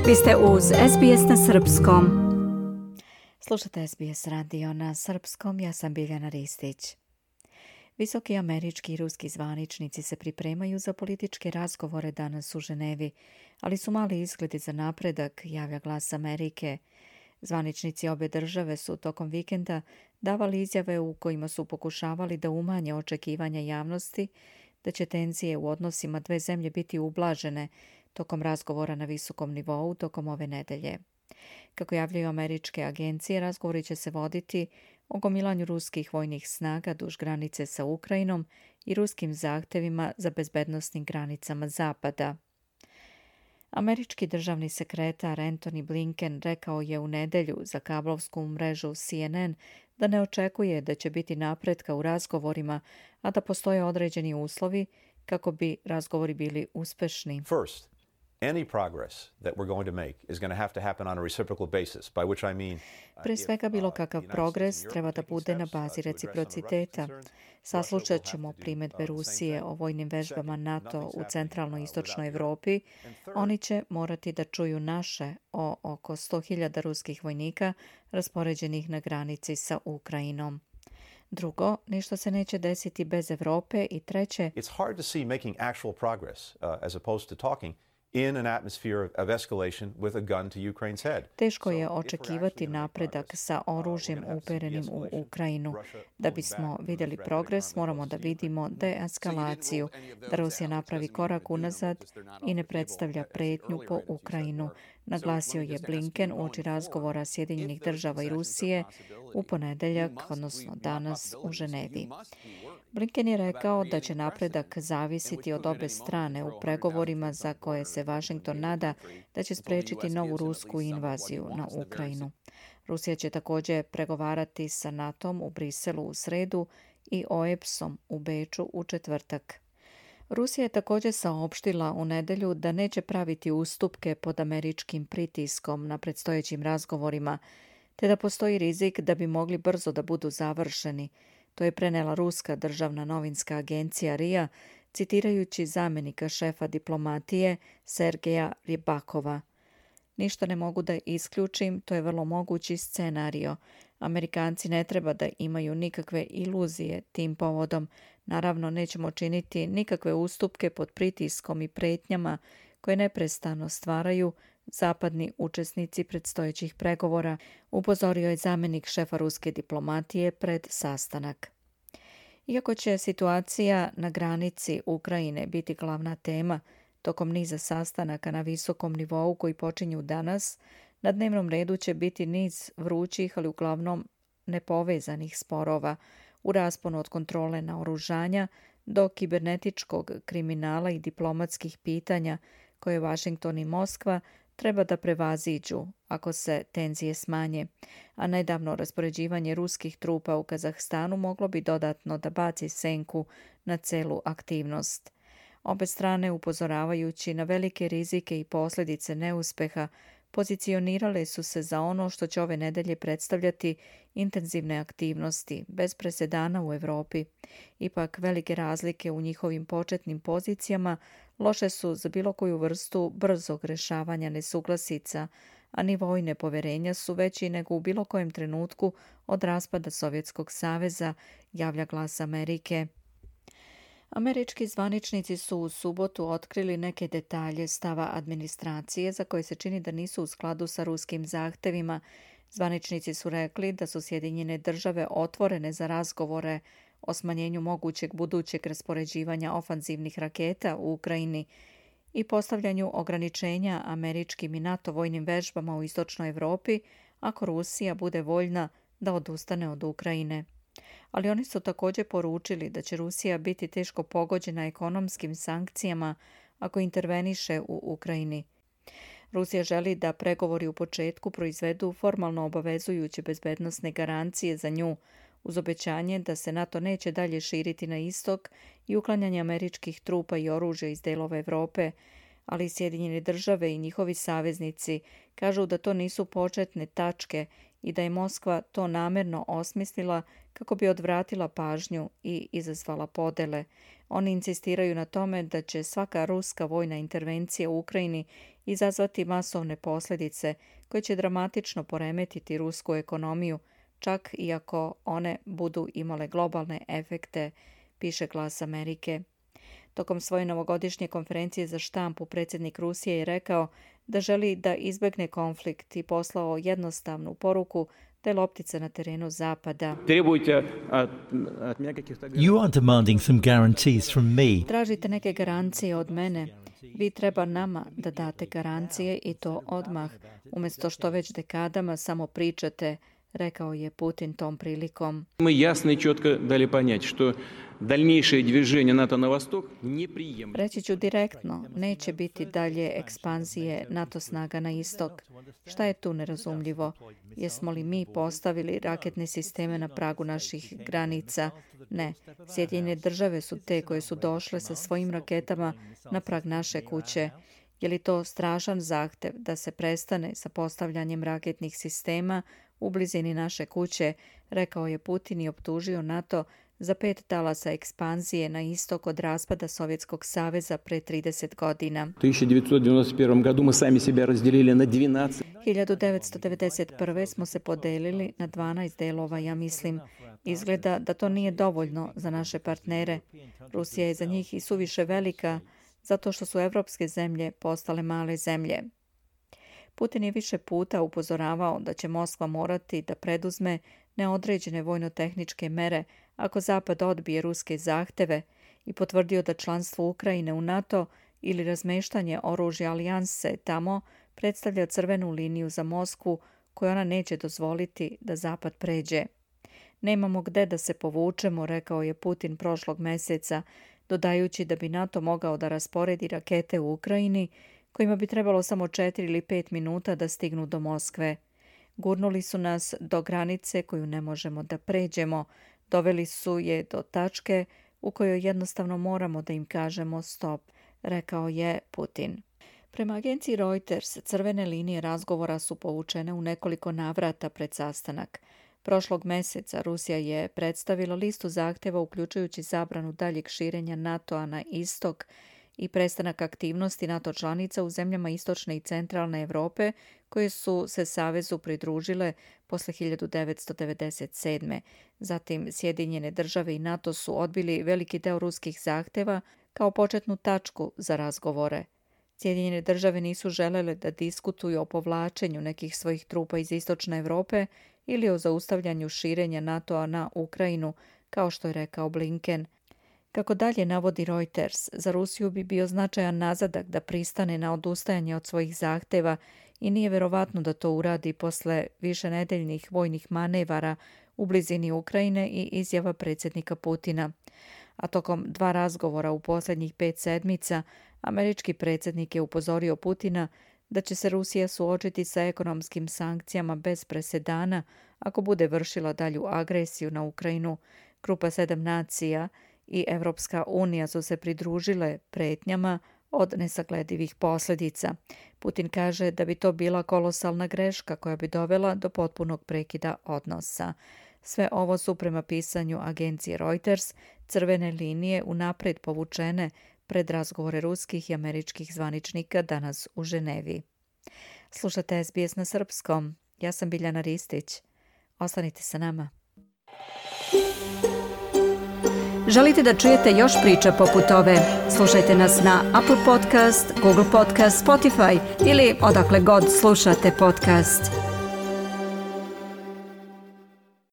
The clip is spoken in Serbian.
Vi ste uz SBS na Srpskom. Slušate SBS radio na Srpskom, ja sam Biljana Ristić. Visoki američki i ruski zvaničnici se pripremaju za političke razgovore danas u Ženevi, ali su mali izgledi za napredak, javlja Glas Amerike. Zvaničnici obe države su tokom vikenda davali izjave u kojima su pokušavali da umanje očekivanja javnosti da će tenzije u odnosima dve zemlje biti ublažene tokom razgovora na visokom nivou tokom ove nedelje. Kako javljaju američke agencije, razgovori će se voditi o gomilanju ruskih vojnih snaga duž granice sa Ukrajinom i ruskim zahtevima za bezbednosnim granicama Zapada. Američki državni sekretar Antony Blinken rekao je u nedelju za kablovsku mrežu CNN da ne očekuje da će biti napretka u razgovorima, a da postoje određeni uslovi kako bi razgovori bili uspešni. First, any progress that we're going to make is going to have to happen on a reciprocal basis, by which I mean Pre svega bilo kakav progres treba da bude na bazi reciprociteta. Saslušat ćemo primedbe Rusije o vojnim vežbama NATO u centralnoj i istočnoj Evropi. Oni će morati da čuju naše o oko 100.000 ruskih vojnika raspoređenih na granici sa Ukrajinom. Drugo, ništa se neće desiti bez Evrope. I treće, it's hard to see making actual progress as opposed to talking in an atmosphere of escalation with a gun to Ukraine's head. Teško je očekivati napredak sa oružjem uperenim u Ukrajinu. Da bismo vidjeli progres, moramo da vidimo deeskalaciju, da Rusija napravi korak unazad i ne predstavlja pretnju po Ukrajinu, naglasio je Blinken uoči razgovora Sjedinjenih država i Rusije u ponedeljak, odnosno danas u Ženevi. Blinken je rekao da će napredak zavisiti od obe strane u pregovorima za koje se Washington nada da će sprečiti novu rusku invaziju na Ukrajinu. Rusija će također pregovarati sa NATO-om u Briselu u sredu i OEBS-om u Beču u četvrtak. Rusija je također saopštila u nedelju da neće praviti ustupke pod američkim pritiskom na predstojećim razgovorima, te da postoji rizik da bi mogli brzo da budu završeni. To je prenela ruska državna novinska agencija RIA, citirajući zamjenika šefa diplomatije Sergeja Rybakova. Ništa ne mogu da isključim, to je vrlo mogući scenario. Amerikanci ne treba da imaju nikakve iluzije tim povodom. Naravno, nećemo činiti nikakve ustupke pod pritiskom i pretnjama koje neprestano stvaraju zapadni učesnici predstojećih pregovora, upozorio je zamjenik šefa ruske diplomatije pred sastanak. Iako će situacija na granici Ukrajine biti glavna tema tokom niza sastanaka na visokom nivou koji počinju danas, na dnevnom redu će biti niz vrućih, ali uglavnom nepovezanih sporova u rasponu od kontrole naoružanja do kibernetičkog kriminala i diplomatskih pitanja koje Washington i Moskva treba da prevaziđu ako se tenzije smanje, a nedavno raspoređivanje ruskih trupa u Kazahstanu moglo bi dodatno da baci senku na celu aktivnost. Obe strane, upozoravajući na velike rizike i posljedice neuspeha, pozicionirale su se za ono što će ove nedelje predstavljati intenzivne aktivnosti bez presedana u Evropi. Ipak, velike razlike u njihovim početnim pozicijama loše su za bilo koju vrstu brzog rešavanja nesuglasica, a nivoi nepoverenja su veći nego u bilo kojem trenutku od raspada Sovjetskog saveza, javlja Glas Amerike. Američki zvaničnici su u subotu otkrili neke detalje stava administracije za koje se čini da nisu u skladu sa ruskim zahtevima. Zvaničnici su rekli da su Sjedinjene države otvorene za razgovore o smanjenju mogućeg budućeg raspoređivanja ofanzivnih raketa u Ukrajini i postavljanju ograničenja američkim i NATO vojnim vežbama u istočnoj Evropi ako Rusija bude voljna da odustane od Ukrajine. Ali oni su također poručili da će Rusija biti teško pogođena ekonomskim sankcijama ako interveniše u Ukrajini. Rusija želi da pregovori u početku proizvedu formalno obavezujuće bezbednosne garancije za nju, uz obećanje da se NATO neće dalje širiti na istok i uklanjanje američkih trupa i oružja iz delova Evrope, ali Sjedinjene države i njihovi saveznici kažu da to nisu početne tačke i da je Moskva to namerno osmislila kako bi odvratila pažnju i izazvala podele. Oni insistiraju na tome da će svaka ruska vojna intervencija u Ukrajini izazvati masovne posljedice koje će dramatično poremetiti rusku ekonomiju, čak i ako one budu imale globalne efekte, piše Glas Amerike. Tokom svoje novogodišnje konferencije za štampu predsjednik Rusije je rekao da želi da izbjegne konflikt i poslao jednostavnu poruku da je loptica na terenu Zapada. You are demanding some guarantees from me. Tražite neke garancije od mene. Vi treba nama da date garancije i to odmah, umjesto što već dekadama samo pričate, rekao je Putin tom prilikom. Мы ясно и четко дали понять, что дальнейшее движение НАТО на восток неприемлемо. Reći ću direktno, neće biti dalje ekspanzije NATO snaga na istok. Šta je tu nerazumljivo? Jesmo li mi postavili raketne sisteme na pragu naših granica? Ne. Sjedinjene države su te koje su došle sa svojim raketama na prag naše kuće. Je li to strašan zahtjev da se prestane sa postavljanjem raketnih sistema u blizini naše kuće, rekao je Putin i optužio NATO za 5 talasa ekspanzije na istok od raspada Sovjetskog saveza pre 30 godina. В 1991 году мы сами себя разделили на 12. 1991. smo se podelili na 12 delova, ja mislim. Izgleda da to nije dovoljno za naše partnere. Rusija je za njih i suviše velika, zato što su evropske zemlje postale male zemlje. Putin je više puta upozoravao da će Moskva morati da preduzme neodređene vojno-tehničke mere ako Zapad odbije ruske zahteve i potvrdio da članstvo Ukrajine u NATO ili razmeštanje oružja alijanse tamo predstavlja crvenu liniju za Moskvu koju ona neće dozvoliti da Zapad pređe. Nemamo gde da se povučemo, rekao je Putin prošlog meseca, dodajući da bi NATO mogao da rasporedi rakete u Ukrajini kojima bi trebalo samo 4 ili 5 minuta da stignu do Moskve. Gurnuli su nas do granice koju ne možemo da pređemo, doveli su je do tačke u kojoj jednostavno moramo da im kažemo stop, rekao je Putin. Prema agenciji Reuters, crvene linije razgovora su povučene u nekoliko navrata pred sastanak. Prošlog meseca Rusija je predstavila listu zahtjeva uključujući zabranu daljeg širenja NATO-a na istok i prestanak aktivnosti NATO članica u zemljama istočne i centralne Europe koje su se savezu pridružile posle 1997. Zatim Sjedinjene države i NATO su odbili veliki deo ruskih zahtjeva kao početnu tačku za razgovore. Sjedinjene države nisu želele da diskutuju o povlačenju nekih svojih trupa iz istočne Europe ili o zaustavljanju širenja NATO-a na Ukrajinu, kao što je rekao Blinken. Kako dalje navodi Reuters, za Rusiju bi bio značajan nazadak da pristane na odustajanje od svojih zahteva i nije verovatno da to uradi posle višenedeljnih vojnih manevara u blizini Ukrajine i izjava predsjednika Putina. A tokom 2 razgovora u posljednjih 5 sedmica, američki predsjednik je upozorio Putina da će se Rusija suočiti sa ekonomskim sankcijama bez presedana ako bude vršila dalju agresiju na Ukrajinu. Grupa 7 nacija i Evropska unija su se pridružile pretnjama od nesagledivih posljedica. Putin kaže da bi to bila kolosalna greška koja bi dovela do potpunog prekida odnosa. Sve ovo su prema pisanju agencije Reuters crvene linije unapred povučene pred razgovore ruskih i američkih zvaničnika danas u Ženevi. Slušate SBS na srpskom. Ja sam Biljana Ristić. Ostanite sa nama. Želite da čujete još priča poput ove? Slušajte nas na Apple Podcast, Google Podcast, Spotify ili odakle god slušate podcast.